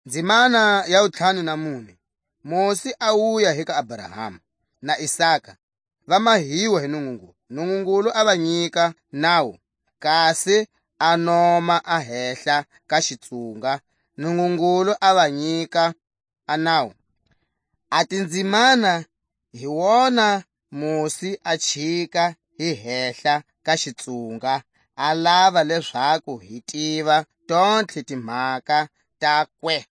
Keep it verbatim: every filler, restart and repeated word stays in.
Ndzimana ya wutlhanu na mune. Mosi a wuya hi ka Abrahama na Isaka, va mahiwa hi Nungungulu. Nungungulu a va nyika nawu, kasi a noma a hehla ka xitsunga. Nungungulu a va nyika a nawu. A tindzimana hi wona Mosi a chika hi hehla ka xitsunga, a lava lezaku hi tiva tontlhe timhaka takwe.